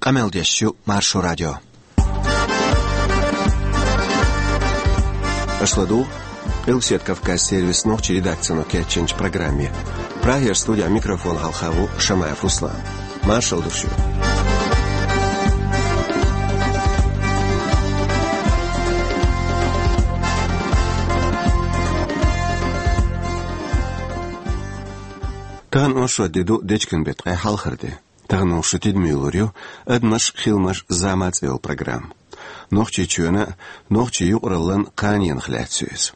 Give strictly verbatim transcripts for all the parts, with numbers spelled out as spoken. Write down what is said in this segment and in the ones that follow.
Къамел деш ю Маршо радио. Аша ладугӀу Къилбаседа Кавказ сервисан нохчийн редакцино кечйинчу программе. Прагера студехь микрофон хьалха ву Шамаев Руслан. Маршалла ду шуьга. Тахана оршот де ду, дечкен беттан ткъе хьалхара де. Тахана шу тидаме лур ю «Адамаш, хиламаш, зама» цӀе йолу программа. Нохчийчоьнан а, нохчийн юкъараллин а кханенах лаьцна ю иза.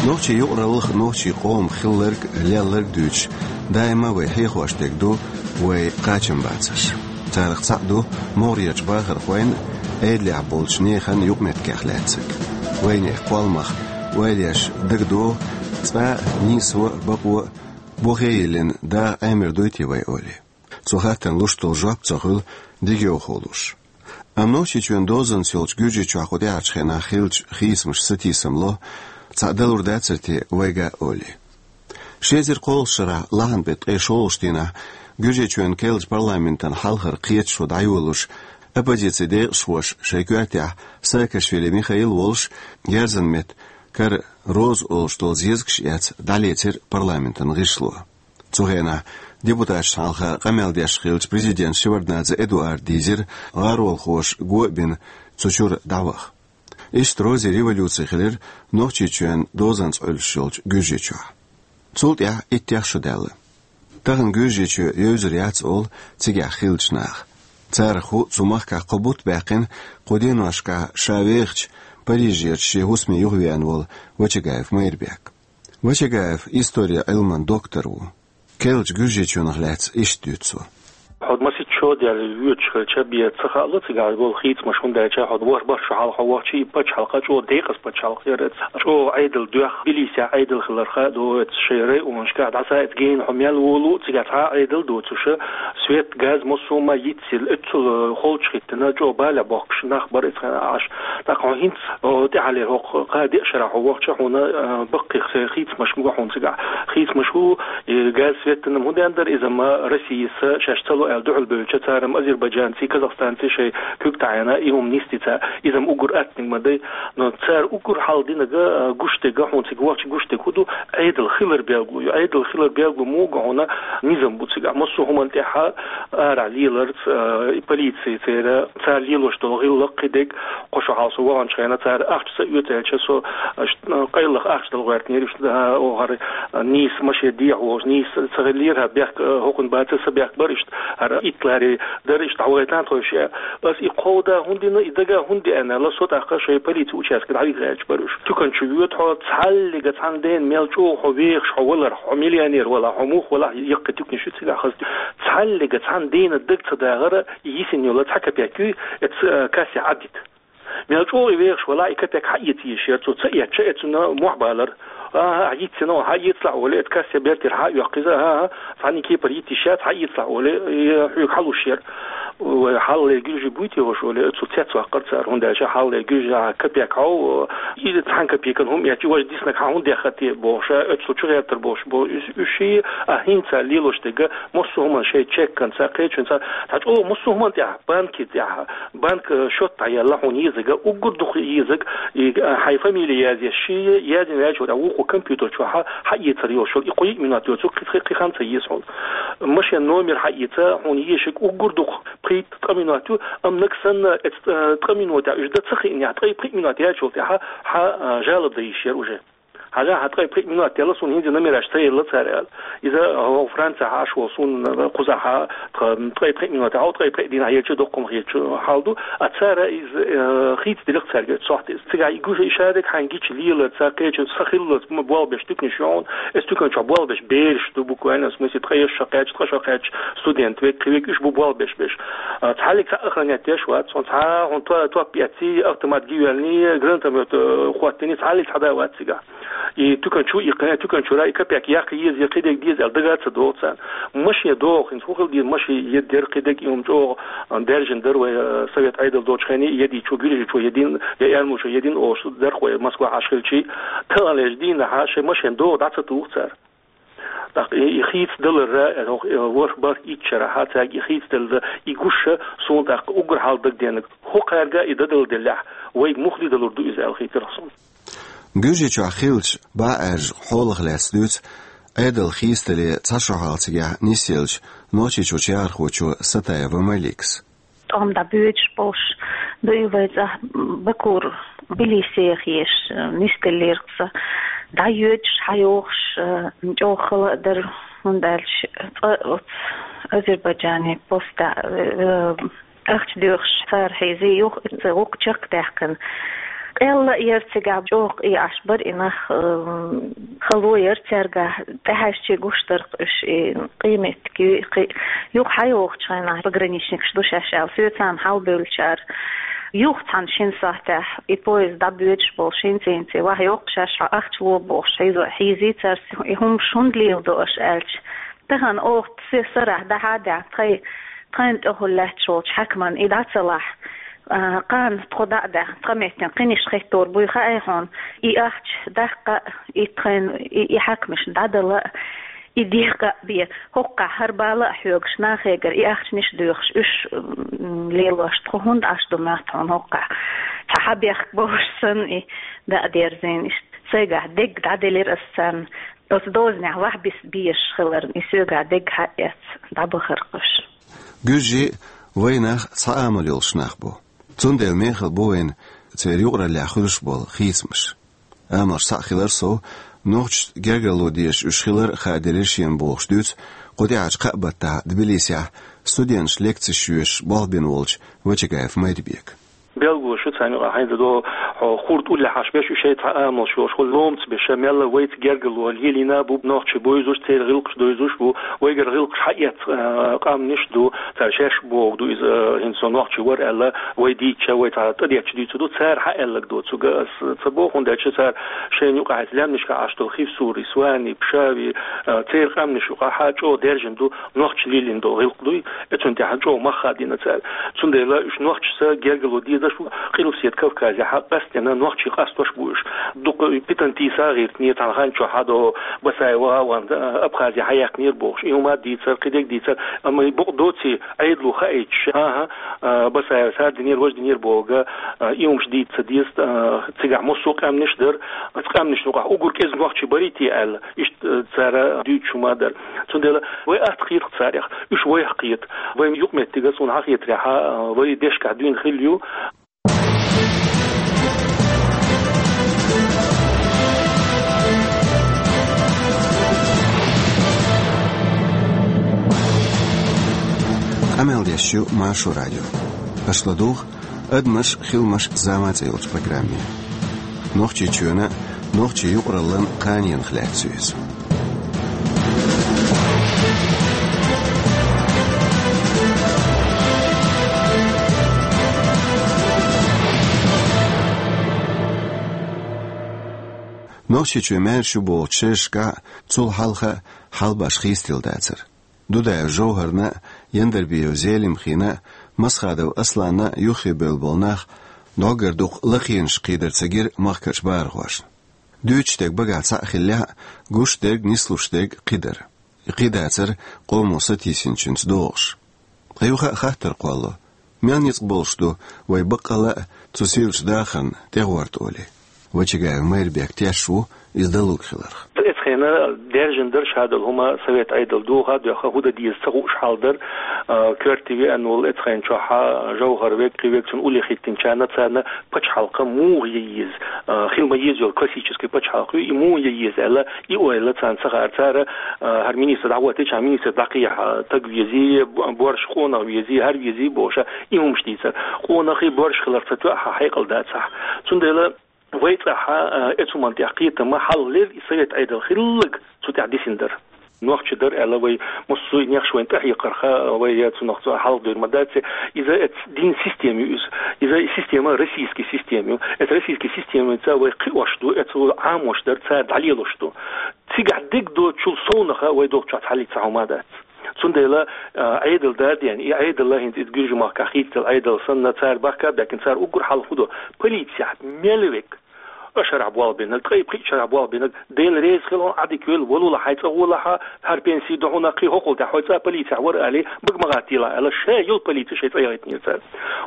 Нохчийн юкъараллах, нохчийн къомах хилларг, лелларг дуьйцуш, даима вай хьехош дерг ду вайн кхачамбацарш. Царах цхьаъ ду могӀарерчу бахархойн а, Ӏедалехь болчу нехан а юкъаметтигех лаьцнарг. Вайнехан кхолламах ойла еш дагадогӀу, цкъа а нийсо а, бакъо а бухе а йиллина, даха Ӏемар дуй те вай олий. Цу хаттарна луш долу жоп ца хуьлу дегайовхо луш. Амма Нохчийчоьнан дозанца йолчу Гуьржийчохь кху тӀаьхьарчу хенахь хиллачу хийцамаша сатийсам ло, цхьаъ далур дацара те вайга а олий. Ши эзар кхоалгӀачу шарахь лахьанан беттан ткъе шолгӀачу дийнахь Гуьржийчоьнан керлачу парламентан хьалхара кхеташо дӀайолалуш, оппозицин декъашхоша шайн коьртехь Саакашвили Михаил волуш, герзан меттан кара Роза олуш долу зезагаш а эцна, дӀалецира парламентан гӀишло. Цу хенахь депутаташна хьалха къамел деш хиллачу президента Шеварднадзе Эдуарда дийзира гӀаролхоша го а бина цу чуьра дӀаваха. Иштта Розин революци хилира Нохчийчоьнан дозанца Ӏуьллуш йолчу Гуьржийчохь. Цул тӀаьхьа иттех шо даьлла. Тахана Гуьржийчоь евзар яц олу цигахь хиллачу наха. Царах ву цу махкахь кхо бутт баьккхина, кху деношкахь ша вехачу Парижерчу шен хӀусаме юхавеана волу Вачагаев Майрбек. Вачагаев историн Ӏилман доктор ву. Керлачу Гуьржийчоьнах лаьцна иштта дуьйцу цо. Хьо масийтта шо а даьлла воьдуш хилча бен ца хаало цигахь болу хийцамаш, хӀунда аьлча хьо ворхӀ-бархӀ шо хьалха хьо вахча и пачхьалкх чӀогӀа декъаза пачхьалкх яра иза. ЧӀогӀа Ӏедал доьхна, Тбилисехь Ӏедал хиларх а ду, оцу шайн районашкахь дӀасаийтта гена хьо мел волу а, цигахь цхьа а Ӏедал доцуш, свет, газ, массо а ма йицъелла, оццул холчу хӀиттина, чӀогӀа балехь бохкуш нах бара иза хьан Ӏаш. ТӀаккха хьо хӀинца, о, тӀаьххьара хӀокху кхаа-деа шарахь хьо вахча, хьуна, а, баккхий хийцамаш ма го хьуна цигахь. Хийцамаш ву, и газ, свет-м хӀун ден дара, иза-м Россияс шаьш ца ло аьлла дуьхьал бевлча, цара-м азербайджанций, казахстанций шайн куьг таӀийна, и хӀума нисдина, иза-м уггар аттаниг ма дай. Но цара уггар хьалха динарг, а, гуш дерг, хьуна цига вахча гуш дерг хӀун ду, Ӏедал хилар белгало ю. Ӏедал хилар белгало муха хьуна, низам бу цигахь. Массо а хӀуманна тӀехь арахь леларца, а, и полици церан, цара лелош долу гӀиллакх, кхидерг, кхо шо хьалха со ваханчу хенахь цара ахча ца оьцу аьлча, со, а, ш-, а, къайлаха ахча дала гӀоьртинера, иштта, а, о, хӀара, а, нийса машен дехьа волуш, нийса ца хиллера, хӀара бехк, а, хӀокхунна бацара, сан бехк бара, иштта, хӀара Гитлери дара, иштта дӀавайтан тхойша. Ас и кховда хӀунда дина, и дага хӀунда деана аьлла, со тӀаккха шайн полици участке дӀавигира аьлча бара уьш. Туькан чу воьду хьо, цхьаллига цхьана дена мел чӀогӀа хьо вехаш, хьо валарх, хьо миллионер валахь, хьо муха валахь, яккхий туьканаш ю цигахь хаза. Цхьаллига цхьана дена даг ца дахара, и йисина йолу цхьа копейк ю, эца, э, кассе Ӏадита. Мел чӀогӀа и вехаш валахь, и копейк хьаэца езаш яра, цо ца эцча, эцунна мохь балара. АхӀа, хьаэццина, хьаэцалахь олий, эца кассе бертера хьа а йоккху иза, ахӀа, цхьана кепара йита йиш яц, хьаэцалахь олий, и хьоьга хьалуш яра. Вай хьалхалера гуьржий буй те хӀорш олий, оццул цецваккхара цара, хӀунда аьлча хьалхалера гуьржехь копейк хьо, и цхьана копейкана хӀума эцча, важа диснарг хьан хӀунда дехха те бохуш, оццул чу гӀертар бохуш бо, уьш, уьш ший, а хӀинца лелош дерг, массо а хӀуманна шайн чекканца, кхечунца, цхьа чӀогӀа массо а хӀуманна тӀехь, банки тӀехь, банк, э, счёт дӀаелла хьуна езарг, уггар дукха езарг, и, э, хьайн фамили язъеш, ший язйина ваьлча, вукху компьютер чохь хьа, хьаэцар йолуш йолу, и кхо-йиъ минот йоцург кхин, кхин, кхин хан ца еза хьуна. Машен номер хьаэца, хьуна езарг уггар дукха пхийтта-ткъа минот ю, амма нагахь санна, эца, э, ткъа минотехь уьш дан ца хиънехь, ткъе пхиъ минот яьлчул тӀаьхьа хьа, э, жалоба дан йиш яра уже. Хьажахьа, ткъе пхиъ минот делла суна, хӀинца номераш ца елла цара аьлла. Иза, э, Францехь Ӏаш волу суна, э, кхузахь, тха, ткъе пхиъ минот, хьо ткъе пхиъ дийнахь елча, доккхум хетачу хьал ду. А цара иза, э, хийца дилира цаьрга цохьта иза. Цигахь и гуш, и шадерг хьайн гича лелар, цара кхечу са хиллалц ма болх беш туьканаш ю хьуна. Эца туькан чохь болх беш бераш ду, буквально, в смысле, ткъе шо кхаьчча, ткъе шо кхаьчча, студент век, кхин век уьш бу болх беш беш. А, цхьаллиг цхьа охранять деш вац, хьуна цхьа, хьуна то-, топ эцций, автомат гинйоьллиний, гранатомёт, э, хӀоттиний, цхьаллиг цхьа да вац цигахь. И тукан чу, и кхе-, тукан чура, и капек яккха еза, я кхидег деза, аьлла дага ца догӀу царна. Машен догӀу, хӀинца хӀу хила деза, машен е дер кхидег, и хӀума чӀогӀа, а, даьржина дара вай, а, совет Ӏедал доцу хенна, и едичо, гуьржичо един, я эрмучо един, олуш дарх вай Москва хьаш хилчи, таханлерчу дийнахьа шайн машен догӀу дӀа ца туху цара. ТӀаккха и, и хийца даларра, э, хӀокху, э, ворхӀ-бархӀ итт шарахьа цаьрга и хийца далла, и гуш, суна тӀаккха уггар хьалха дагадеанарг, хӀокхаьрга и дадала деллехь, вайга муха де далур ду иза аьлла хийтира суна. Гуьржийчохь хиллачу бӀе Ӏаьржа хьолах лаьцна дуьйцу Ӏедал хийцадале цхьа шо хьалха цигахь нисъеллачу Нохчийчоьнан чоьхьархочо Сатаева Маликас. ТӀом дӀабоьдуш болуш ду и вай цӀа Бакура, Тбилисиха еш, нисделлера-кх сан. ДӀайоьдуш, хьайогӀуш, чӀогӀа хала а дара, хӀунда аьлча цкъа оцу Азербайджане поста, э, ахча доьхуш цара хьийзий, юха и ца гӀуллакх чекхдаьккхина. Къелла а яра цигахь, чӀогӀа къийсаш бара и нах, э, хало яра цаьргахь, тӀехьаьжча гуш дара-кх уьш, и къеметтиг ю-, кхи-, юха хьайогӀучу хенахь пограничникаш ду шаьш аьлла, соьцанна хьалабевллачара. Юха цхьана шина сахьтехь и поезд дӀабоьдуш болу шин цӀийна цӀе, ваха йоккху шаьш хьо ахча ло бохуш, хьийзо-, хьийзий цара, и хӀумаш хӀунда леладо аша аьлча. Тахана оха се сарахь дӀахьа а даьхна, тхай-, тхайна тӀехула лаьтташ волчу хьаькаман и дӀа ца лахь, а, кхана тхо дӀа а даьхна, тхан меттина кхиниш хеттор буй хаьий хьуна, и ахча даккха а, и тхайна, и, и хьаькамашна дӀадала а, и декъа а бен, хӀоккхахь хӀара бала а хьоьгуш, нахегара и ахчанаш а доьхуш, уьш, м, лелош тхо хӀунда Ӏаш ду моьтту хьуна хӀоккхахь? Цхьа хьан бехк бовш санна и дӀа а дерзийна иштта. Сайгахь дегга дӀаделира ас царна. Оцу дозанехь ваха бис-, безаш хиларна, и соьгахь дегга хьа а эцна, дӀабахара-кх уьш. Гуьржий вайн нах цхьа амал йолуш нах бу. Цундела мехала бу вайна церан юкъараллехь хуьлуш болу хийцамаш. Амалш цхьаъ хилар сов, нохчашна гергарло дезаш уьш хилар а хааделира шена бохуш дуьйцу кху тӀаьхьарчу кхаа баттахь Тбилисехь студенташна лекцеш йоьшуш болх бина волчу Вачагаев Майрбека. Белгало шу царна юкъахь хьайна дан долу, хьо хурд уллехь Ӏаш беш, уьш шайн цхьа амалш йолуш, хӀу ломца беш, мелла вайца гергарло лелийна бу, нохчий бовзуш, церан гӀиллакхаш довзуш бу, вайгара гӀиллакхаш хьаэцна, а, къаьмнаш ду, цара шаьш бохург ду иза, а, хӀинца со нохчи вара аьлла, вай дийцча, вай цхьа тӀадетташ дуьйцур ду, цара хьаэлларг доцург ас ца боху, хӀунда аьлча цара шайна юкъахь хӀинца лаьмнашкахь Ӏаш долу Хивсури, Свани, Пшави, а, церан къаьмнаш юкъахь чӀогӀа даьржина ду, нохчашна лелийна долу гӀиллакх дуй, и цунна тӀехь чӀогӀа мах хадийна цара. Цундела уьш нохчашца гергарло дезаш бу, Къилбаседа Кавказехь къаьсттина нохчий къастош бу уьш. Дукха питана тийса гӀиртинера цхьана хан чохь хьадо Басаева ван, а, Абхазе хьаяьккхинера бохуш. И хӀума дийцар, кхидерг дийцар, амма и бакъ доций Ӏедало хаийтуш, хӀан-хӀа, а, Басаева сар динера, важа динера бохург, а, и хӀумаш дийца ца деза, а, цигахь массо а къаьмнаш дара, оцу къаьмнашна юкъахь уггар кӀезиг нохчий барий те аьлла. Иштта, э, цара дуьйцуш хӀума дара. Цундела вай атта кхета-кх царех, уьш вайх кхета. Вайн юкъаметтиг, суна хьахетарехь, э, вай дешкахь дуьйна хилла ю. Къамел деш ю Маршо радио. Аша ладугӀу «Адамаш, хиламаш, зама» цӀе йолчу программе. Нохчийчоьнан, нохчийн юкъараллан кханенах лаьцна ю иза. Нохчийчоь маьрша ю бохучу шерашкахь а, цул хьалха а хьал-баш хийцаделла дацара. Дудаев ЖовхӀарна а, Яндарбиев Зелимхина а, Масхадов Асланна а юххе бевлла болу нах дӀоггара дукха лакхенаш кхийдар ца гира махкарчу бахархошна. Дуьйцуш дерг багахь цхьаъ хиллехь а, гуш дерг, нислуш дерг кхидара. И кхидацара къомо сатийсинчуьнца догӀуш. Ткъа юха а хаттар кхолло: мел ницкъ болуш ду вай баккъалла а цу сийлачу дахарна тӀегӀорта олий? Вачагаев Майрбек тешаш ву иза далург хиларх. Эцхена даьржина дара шадолу хӀума, совет Ӏедал доха а доьхна, хӀу дан деза ца хууш хьал дара, а, коьрте веана волу эцхена чохь а ЖовхӀар верг, кхин верг, цунна уллехь хӀиттинчарна, царна пачхьалкх муха ян еза, а, хила ма еза йолу классический пачхьалкх ю, и муха ян еза аьлла, и ойла царна ца хаьара. Цара, а, хӀара министр дӀахӀоттийча, хӀара министр дӀакхехьа, таг везий, бо-, боьрша къонах везий, хӀара везий бохуш, и хӀумаш дийцара. Къонахий боьрша хиларх ца тоьа хьан хьекъал дацахь. Цундела вай цӀахь, а, эцу хӀуманна тӀехь кхетам а, хьал лер и совет Ӏедал хилларг цу тӀехь дисина дара. Нохчий дар аьлла вай, массо а нехаш вайна тӀехьекхарха, вай я цунах цо хьалха дойр ма дац. Иза эц дин система ю иза. Иза система российский система ю. Эц российский системаца вай кхиош ду, эц Ӏамош дар цара дӀалелош ду. Цигахь диг доцучул совнаха вай долчохь хьалли ца хьума дац. Цундела, а, Ӏедал даден, и Ӏедал хӀинца иза Гуьржи махка хийцдал Ӏедал санна цара бахка баьккхина цара уггар хьалха хӀу до. Полицехь мел век. Ткъа шарахь болх бинарг, ткъе пхиъ шарахь болх бинарг, Дела реза хила хьуна, Ӏадика йойла, валула хьай цӀа гӀолахьа, хӀара пенсий ду хьуна, кхин хӀокхул тӀехь хьой цӀа полицехь вара али, бага ма гӀаттийла аьлла, ша йолу полици шайн цӀа яхийтинера цара.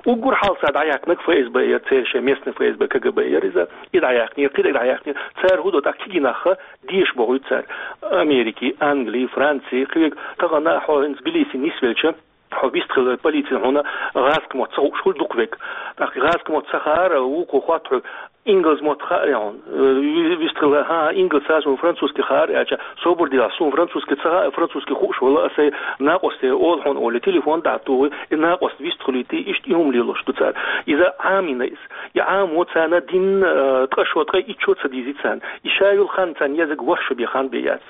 Уггар хьалха цара дӀаяьккхинарг ФСБ яр, церан шайн местный ФСБ, КГБ яр иза, и дӀаяьккхинера, кхидерг дӀаяьккхинера. Цара хӀу до тӀаккха кегий нахха, деша бохуьйту цара. Америки, Англи, Франци, кхин верг тахана хьо хӀинца Тбилиси нисвелча, хьо вистхила полици хьуна гӀазкхи мотт ца хууш хуьлу дукха век. ТӀаккха гӀазкхи мотт ца хаара, вукхо хотту хьоьга, ингалс мотт хаьа хьуна. Э, ви-, вистхила, хӀан, ингалс ца, суна французский хаьа аьлча, собар делахь, суна французский ца хаьа, французский хууш вала, аса накъосте олу хьуна олий, телефон дӀа а тухий, и накъост вистхилийти, иштта и хӀума лелош ду цара. Иза Ӏамийна иза. И Ӏамо царна дин, э, ткъа шо, ткъе итт шо ца дийзи царна. И ша йолу хан царна езарг ворхӀ шо бен хан бен яц.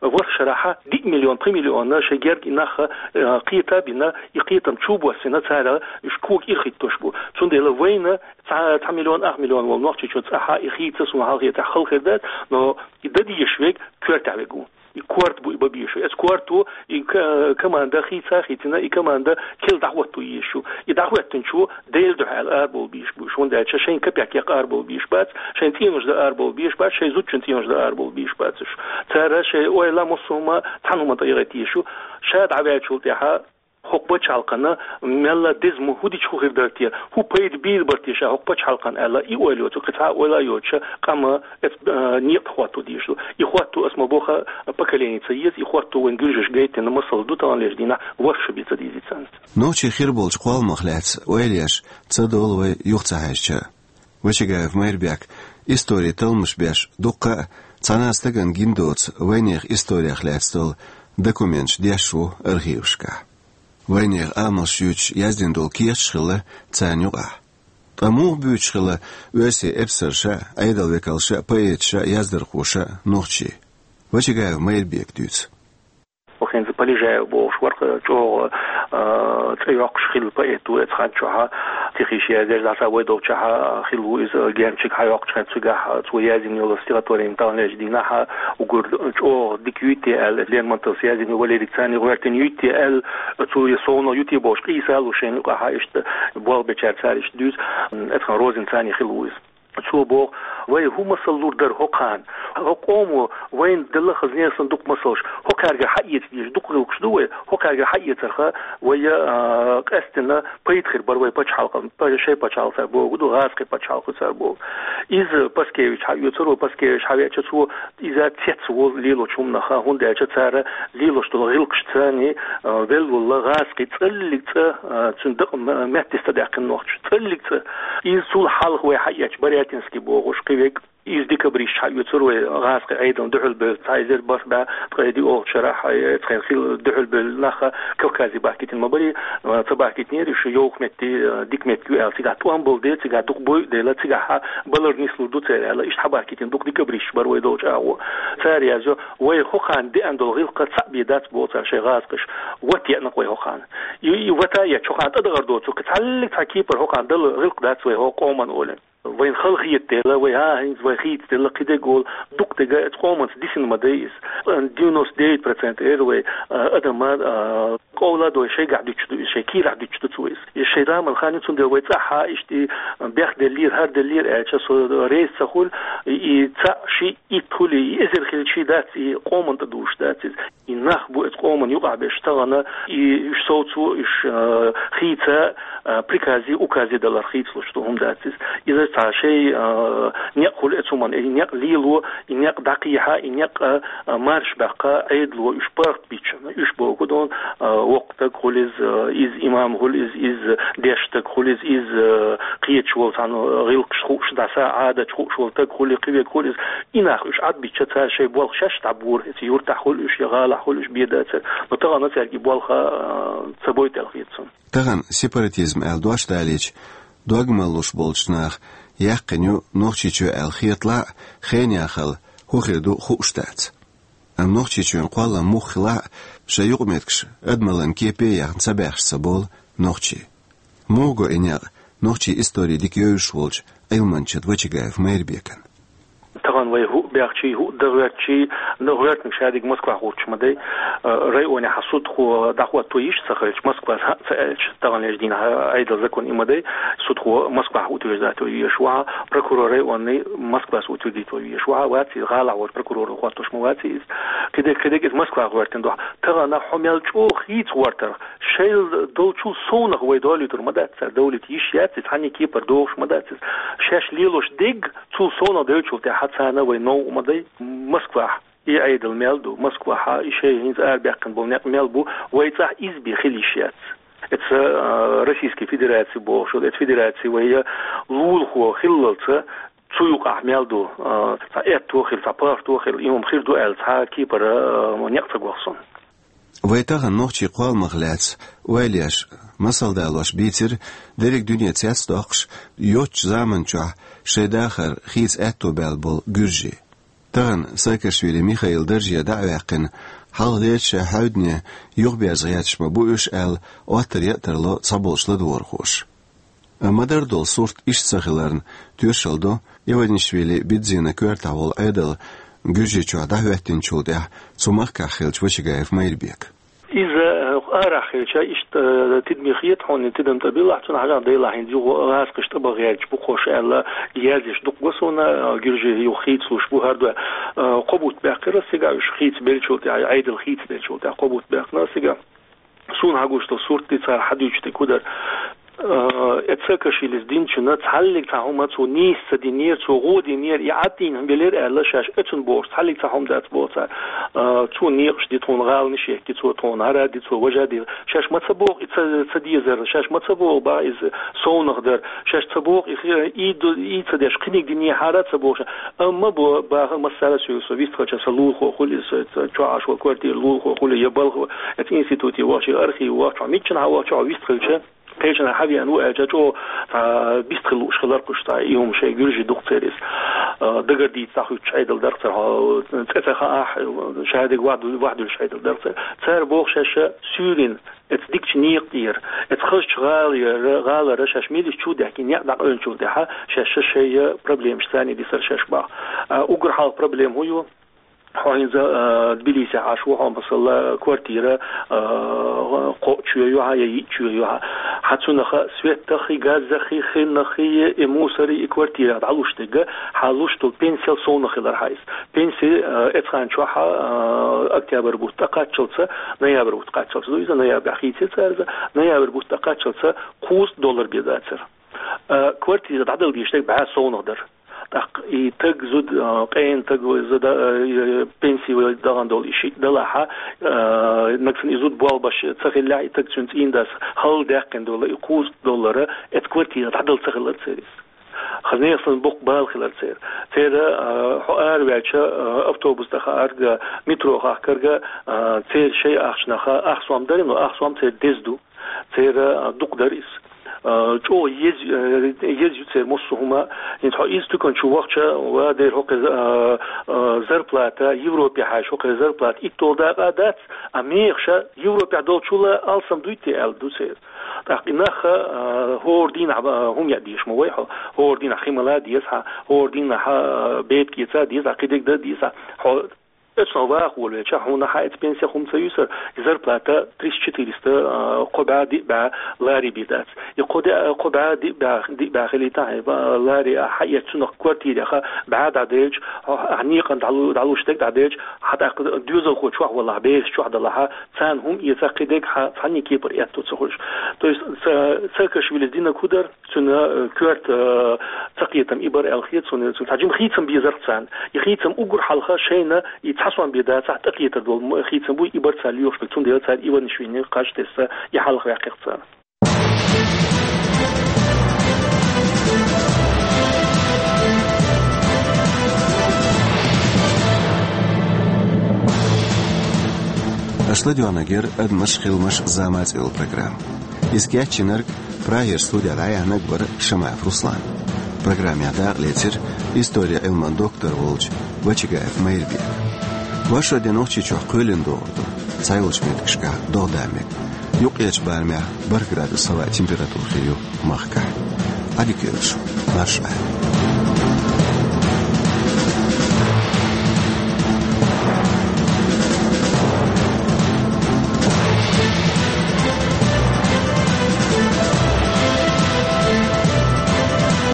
ВорхӀ шарахьа диъ миллион, пхи миллион шайн герга и нах, э, кхета а бина, и кхетам чу а боссина, цара уьш кога ирхӀиттош бу. Цундела вайна цхьа, цхьа миллион, ах миллион волу нохчичо цӀахьа и хийца суна хьалхетахь хала хир дац, но и дан дезаш верг коьртехь верг ву. И корта бу и бан безаш. Эцу корто и ка-, команда хийца а хийцина, и команда кхел дӀахӀотто езаш ю. И дӀахӀоьттинчо Делан дуьхьа аьлла арабовла безаш бу уьш. ХӀунда аьлча шайн капек яккха арабовла безаш бац, шайн цӀенош дан арабовла безаш бац, шайн зудчун цӀенош дан арабовла безаш бац уьш. Цара шайн ойла массо а хӀума цхьана хӀуманна тӀе яхийта езаш ю. Ша дӀаваьллачул тӀаьхьа хӀокху пачхьалкхана мелла деза ма хӀу дича хӀу хир дара те, хӀу пайда бийр бара те ша хӀокху пачхьалкхана аьлла, и ойла йоцу, кхин цхьа а ойла а йоцуша, къама эцу, а, некъа тӀе хӀотто дезаш ду. И хӀотто, ас ма боху, поколени ца еза, и хӀотто вайн гуьржаша гайтина масал ду таханлерчу дийнахь, ворхӀ шо бен ца дийзи царна. Нохчий хир болчу кхолламах лаьцна ойла еш ца долу вай юха ца хьаьжча. Вачагаев Майрбек историн талламаш беш дуккха а цхьана а стагана гина доцу вайнехан историх лаьцна долу документаш деш ву архивашкахь. Вайнехан амалш юьйцуш яздина долу кехаташ хилла царна юкъахь. Ткъа муха буьйцуш хилла оьрсийн эпсарша а, Ӏедалан векалша а, поэташа а, яздархоша а нохчий? Вачагаев Майрбека дуьйцу. ХӀинца Полежаев бохуш вара, чӀогӀа, а, цӀе йоккхуш хилла поэт ву эцу хан чохь, стихиш яздеш, дӀаса вай долчохь хилла ву иза, генчиг хьайоккхуш хӀинца цигахь, цо яздина йолу стихотворени таханлерчу дийнахь, уггар чӀогӀа дика юй те аьлла, Лермонтовс яздина Валерий Цани гӀоьртина юй те аьлла, цо я совнал ю те бохуш, къийса а луш шайна юкъахь иштта болх бечара цара иштта дуьйцу, эцу хан Розин Цани хилла ву иза. Цо боху, вай хӀун масал лур дара хӀокхарна? ХӀокху къомо вайна делла хаза несан дукха масалш, хӀокхаьргара хьаэца дезаш дукха гӀиллакхаш ду вай, хӀокхаьргара хьаэцарха вай, а, къаьстина пайда хир бара вай пачхьалкхана, па-, шайн пачхьалкх цара боху ду, гӀазкхийн пачхьалкх цара боху. Иза Паскевич хьаоьцура, вай Паскевич хьавеача, цо иза цецволу лелочу хӀуманах, хӀунда аьлча цара лелош долу гӀиллакхаш царний, а, велла волла гӀазкхи цӀаллиг цӀа, а, цуьнан дакъа м-, меттиста даьккхина нохча. ЦӀаллиг цӀа. Иза цул хьалха вай хьаэцча, Барятинский бохуш кхин верг, иза декабристаш хьаоьцура вай гӀазкхи Ӏедална дуьхьал бевлла, цхьа эзар бархӀ бӀе ткъе диъолгӀачу шарахь, эцхьан хилла дуьхьал бевлла нах Кавказе бахкийтина ма барий, а, ца бахкийтинера, уьш йовха метте, а, дика меттиг ю аьлла, цигахь тӀом болу дела, цигахь дукха бойу дела, цигахь балар нислур ду церан аьлла, иштта хьабахкийтина дукха декабристаш бара вай долчу агӀо. Цара яздо, вай хӀокхарна деана долу гӀиллакх цхьаъ бен дац боху цара шайн гӀазкхаша. Ват еана-кх вай хӀокхарна. И, и вата еча хӀокхарна тӀадахар доцург, цхьаллиг цхьа кепара хӀокхарна дала гӀиллакх дац вай хӀокху къоман олий. Вайна хала хета дела, вай, а, хӀинца вай хийца дела, кхин дерг олу, дукха дерг а эцу къоманца дисина ма дай иза. Девяносто девять процент эр вай, а, адама, а, къовла а дой, шайгахь дуьтуш ду иза, шайн кийрахь дуьтуш ду цо иза. Иза шайн раман хан ю, цундела вай цӀахь а иштта и бехделлера, хӀара деллера аьлча, со реза ца хуьлу, и, и цхьаъ, шиъ, итт хуьлий, и эзар хилчий дац, и къоман тӀе дуьтуш дац иза. И нах бу эцу къоман юкъахь берш тахана, и уьш совцо, уьш, а, хийца, а, приказе, указе далар хийцалуш ду, хӀума дац иза. Иза цхьа шайн, а, некъ хуьлу эцу хӀуманна, и некъ лело, и некъ дӀакхехьа, и некъ, а, марша баккха, Ӏедало уьш паргӀат бича. Уьш боху дон, а, воккха стаг хуьлу иза, а, иза имам хуьлу иза, иза дешна стаг хуьлу иза, иза, а, кхеташ волу цхьана гӀиллакхаш хууш, дӀаса Ӏадаташ хууш волу стаг хуьлу, кхин верг хуьлу иза. И нах уьш Ӏад бича, цара шайн болх шаьш дӀабора, эцу юьртахь хуьлу уьш, я гӀалахь хуьлу уьш бен дацара. Но тахана цаьрга и болх, а, ца бойта аьлла хета суна. Тахана сепаратизм аьлла дош далийча, дог мала луш болчу наха яьккхина ю Нохчийчоь аьлла хеталахь а, хенан яхалла хӀун хир ду хууш дац. Амма Нохчийчоьнан кхоллам муха хилахь а, шайн юкъаметтигаш адамаллин кепе а яьхна, ца баьхаш ца болу нохчий. Муха го и некъ нохчийн истори дика евзаш волчу Ӏилманча Вачагаев Майрбекан? Тахана вай хӀуъа баьхчий, хӀуъа дан гӀоьртичий, но гӀоьртинарг шадерг Москвахь гӀуттуш ма дай. Э, районехь судхо дӀахӀотто йиш ца хилча, Москвас хӀаъ ца аьлча, таханлерчу дийнахь Ӏедалан закон и ма дай, судхо Москвахь утверждать вай везаш ву хьа, прокурор районный Москвас утвердить вай везаш ву хьа, вац иза, гӀалахь волчу прокурора хӀоттош ма вац иза. Кхидерг, кхидерг иза Москвахь гӀоьртина ду хьа. Тахана хьо мел чӀогӀа хийца гӀортарх, шайл долчул совнаха вай долуьйтур ма дац цара, довлийта йиш яц иза, цхьанне кепара догӀуш ма дац иза. Шаьш лелош дерг цул совнаха девллачул тӀаьхьа царна вай новкъа ма дай. Москвахь и Ӏедал мел ду, Москвахь и шайн хӀинца арабаьккхина болу некъ мел бу, вай цӀахь иза бен хила йиш яц. Эца, а, Российский Федераци бохуш, эца федераци вай лулахо хиллалца, цу юкъахь мел ду, а, цхьа аьтто хила, цхьа пахто хила, и хӀума хир ду аьлла, цхьа кепара, а, некъ ца гохсуна. Вай тахана нохчийн кхолламах лаьцна ойла еш, масал далош бийцира дерриг дуьне цецдоккхуш, йоцчу заман чохь шайн дахар хийца аьтто баьлла болу гуьржий. Тахана Саакашвили Михаил дарже дӀа а ваьккхина, хьалха дерча шайн хьаьвдане юхаберза гӀерташ ма бу уьш аьлла, оттар яа тарло цхьаболчу ладогӀархоша. Амма дара долу сурт иштта ца хиларна, тоьшалла до Иванишвили Бидзина коьртахь волу Ӏедал Гуьржийчохь дӀахӀоьттинчул тӀаьхьа цу махкахь хилча Вачагаев Майрбека. Иза, э, арахь хилча, иштта, э, тидаме хета хьуна, тидам тӀе билахь, цунна хьажахь делахь, хӀинца юха гӀазкхаша тӀе бан гӀерташ бу кхуш аьлла, яздеш дукха го суна, э, гуьржий юха хийцалуш бу хӀара дуьхьа. Э, кхо бутт баьккхира ас цигахь, уьш хийца беллачул тӀаьхьа, Ӏедал хийца беллачул тӀаьхьа, кхо бутт баьккхина ас цигахь. Суна хьагуш долу сурт и цара хьадуьйцуш дерг хӀун дара. Э, эца Саакашвилис динчунна цхьаллиг цхьа хӀума цо нийса ца динера, цо гӀо динера, и Ӏад дийна хӀума белира аьлла, шаьш оцунна бохуш, цхьаллиг цхьа хӀума дац боху цара. Э, цо некъаш ди тхуна, гӀаланаш а ехки цо тхуна, хӀара а ди цо, важа а ди. Шаьш ма ца боху и ца, ца дезар, шаьш ма ца боху бах иза совнаха дар. Шаьш ца боху и хи-, и ду-, и ца деш, кхиниг динехьара ца боху ша. Амма бо-, баха массара а соьга со вистхилча, сан лулахо хуьлу иза, со, со чохь Ӏаш волу квартира лулахо хуьлу, я балха, эца институте вахча, я архиве вахча, хьо миччана хьан вахча, хьо вистхилча, кхечанхьа хьан веана ву аьлча, чӀогӀа, а, бистхила лууш хилар кхуш цхьа, и хӀума шайн гуьржий дукха церан иза. А, дагардаьча цхьа хӀуьттуш Ӏедал дара цара, хьо, цӀе ца хаахь, шадерг вахь ду-, вахь дуьллуш Ӏедал дара цара. Цара боху шаьш суьйрина, эца дикачу некъа тӀера, эца хазачу гӀалара, гӀалара шаьш меллица чу а даьхкина, некъ дӀакъевллачул тӀаьхьа шаьш шайн проблемаш царна дисар шаьш бах. А, уггар хьалха проблема хӀун ю? Хьо хӀинца, а, Тбилисехь Ӏаш ву, хьо, масала, квартира, а, кхоъ чоь ю хьан я йиъ чоь ю хьан. Хьан цунах свет а хи, газ а хи, хин а хи, и мусор а, и квартира дӀалуш дерг, хьан луш долу пенсел совнаха хилар хьан иза. Пенси, а, эцхьан чохь, а, октябрь бутт тӀекхаччалца, ноябрь бутт кхаччалца ду иза, ноябрь хийцира цара иза, ноябрь бутт тӀекхаччалца кхузткъа доллар бен дацара. А, квартира дӀадала дезаш дерг бӀе совнаха дара. ТӀаккха и таг зуда, а, къена таг вай зуда, а, и пенси вай дахана долу и шиъ далахь, а, нагахь санна и зуда болх беш ца хиллехь, и таг цуьнан цӀийнан дас хала даьккхина долу и кхузткъа доллар, эца квартира дӀадала ца хилар церан иза. Хаза нехан санна боккха бала хилар церан. Церан, а, хьо араваьлча, а, автобус тӀе хаарг, метро хахкарг, а, церан шайн ахчанах, ах сом дара, но ах сом церан деза ду. Церан, а, дукха дара иза. А, чӀогӀа еза, а, еза ю церан массо а хӀума. ХӀинца хьо иза туькан чу вахча, ва дера хӀокху, а, а, зарплата, Европе хьаьжча хӀокху зарплата итталгӀа дакъа дац, а мехаш Европехь долчул алсам дуй те аьлла ду церан. ТӀаккха и нах, а, хӀора дийнахь, а, хӀума яа дезаш ма вай хьо, хӀора дийнахь хи мала деза хьан, хӀора дийнахь, а, бепиг эца деза хьан, кхидерг дан деза хьан. Хьо оцунах ваха волавелча, хьуна хьан эца пенсех хӀума ца юьсура, и зарплата триста-четыреста, а, кхо бӀе диъ бӀе лари бен дац. И кхо де-, кхо бӀе диъ бӀе, диъ бӀе хилийта хьайн, а, лари а хьан эца цунах квартирех бӀе дӀаделча, хьо, а, некъан дӀалу-, дӀалуш дерг дӀаделча, хьан тӀаккха доьзалхо чохь валахь, бераш чохь далахь, царна хӀума эца кхидерг хьан цхьанне кепара аьтто ца хуьлуш. То есть, Са-, Саакашвилис динарг хӀун дара? Цуьнан, э, коьрта, э, цакхетам и бара аьлла хета суна, цуьнан цхьа жима хийцам безарх царна. И хийцам уггар хьалха шайна и цхьа сом бен дацахь, тӀекхетар долу м-, хийцам буй, и бара цара лоьхуш берг, цундела цара Иванишвилина кхаж тесса и хьалха ваьккхира царна. Аша ладоьгӀнарг яра «Адамаш, хиламаш, зама» цӀе йолу программа. Иза кечйинарг, Прагера студехь дӀаяьхьнарг вара Шамаев Руслан. Программехь дакъалецира историн Ӏилман доктор волчу Вачагаев Майрбека. Вошас де Нохчийчохь кхоьлина догӀур ду, цхьайолчу меттигашкахь догӀа дан мега. Юккъерчу барамехь бархӀ градус хӀаваан температура хир ю махкахь. Ӏадика йойла шун, марша Ӏайла.